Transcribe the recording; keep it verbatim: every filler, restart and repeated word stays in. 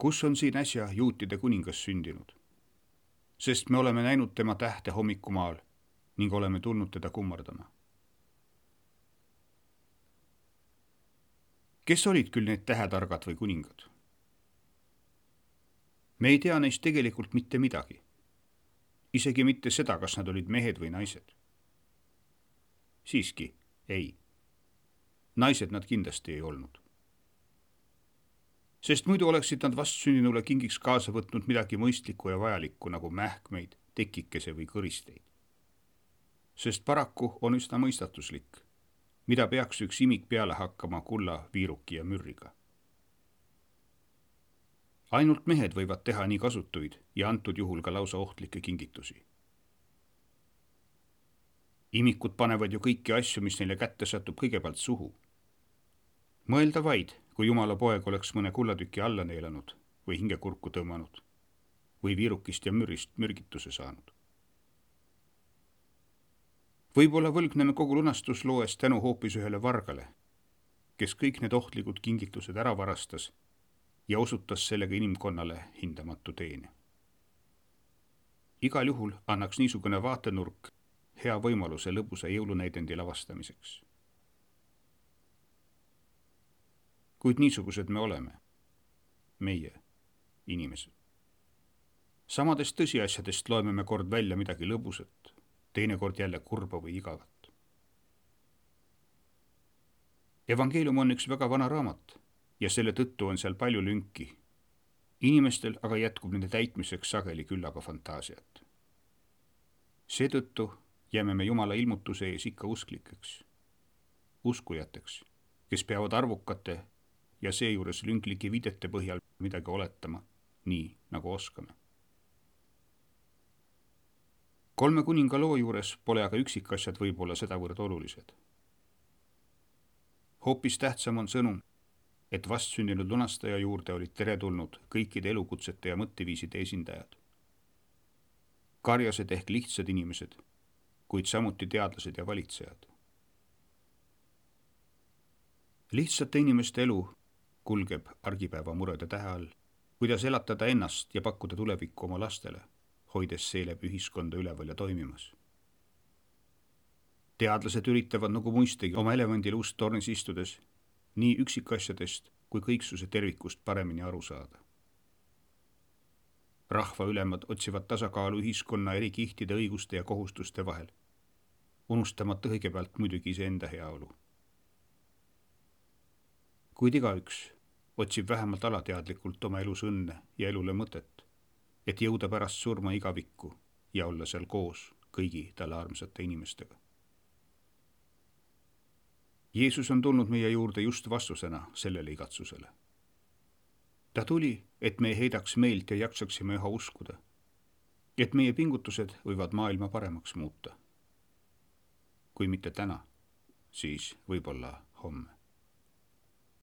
kus on siin äsja juutide kuningas sündinud? Sest me oleme näinud tema tähte hommikumaal ning oleme tulnud teda kummardama. Kes olid küll need tähetargad või kuningad? Me ei tea neist tegelikult mitte midagi. Isegi mitte seda, kas nad olid mehed või naised. Siiski, ei. Naised nad kindlasti ei olnud. Sest muidu oleksid nad vastsündinule kingiks kaasa võtnud midagi mõistlikku ja vajalikku nagu mähkmeid, tekikese või kõristeid. Sest paraku on üsna mõistatuslik, mida peaks üks imik peale hakkama kulla, viiruki ja mürriga. Ainult mehed võivad teha nii kasutuid ja antud juhul ka lausa ohtlikke kingitusi. Imikud panevad ju kõiki asju, mis neile kätte satub, kõigepealt suhu. Mõelda vaid, kui Jumala poeg oleks mõne kullatüki alla neelanud või hingekurku tõmmanud või viirukist ja mürist mürgituse saanud. Võib-olla võlgneme kogu lunastusloes tänu hoopis ühele vargale, kes kõik need ohtlikud kingitused ära varastas ja osutas sellega inimkonnale hindamatu teene. Igal juhul annaks niisugune vaatenurk hea võimaluse lõbusa jõulunäidendi lavastamiseks. Kuid niisugused me oleme, meie, inimesed. Samadest tõsiasjadest loeme me kord välja midagi lõbusat, teinekord jälle kurba või igavat. Evangeelium on üks väga vana raamat ja selle tõttu on seal palju lünki. Inimestel aga jätkub nende täitmiseks sageli küllaga fantaasiat. Seetõttu jääme me Jumala ilmutuse ees ikka usklikeks, uskujateks, kes peavad arvukate ja seejuures lünklike viidete põhjal midagi oletama, nii nagu oskame. Kolme kuninga loo juures pole aga üksikasjad võib-olla sedavõrd olulised. Hoopis tähtsam on sõnum, et vastsündinud lunastaja juurde olid teretulnud kõikide elukutsete ja mõtteviiside esindajad. Karjased ehk lihtsad inimesed, kuid samuti teadlased ja valitsejad. Lihtsate inimeste elu kulgeb argipäeva murede tähe all, kuidas elatada ennast ja pakkuda tulevikku oma lastele, hoides seeläbi ühiskonda üleval ja toimimas. Teadlased üritavad nagu muistegi oma elevandil ust tornis istudes nii üksikasjadest kui kõiksuse tervikust paremini aru saada. Rahva ülemad otsivad tasakaalu ühiskonna eri kihtide õiguste ja kohustuste vahel, unustamata kõigepealt muidugi iseenda heaolu. Kuid igaüks otsib vähemalt alateadlikult oma elus õnne ja elule mõtet, et jõuda pärast surma igavikku ja olla seal koos kõigi talle armsate inimestega. Jeesus on tulnud meie juurde just vastusena sellele igatsusele. Ta tuli, et me ei heidaks meelt ja jaksaksime üha uskuda, et meie pingutused võivad maailma paremaks muuta. Kui mitte täna, siis võib-olla homme.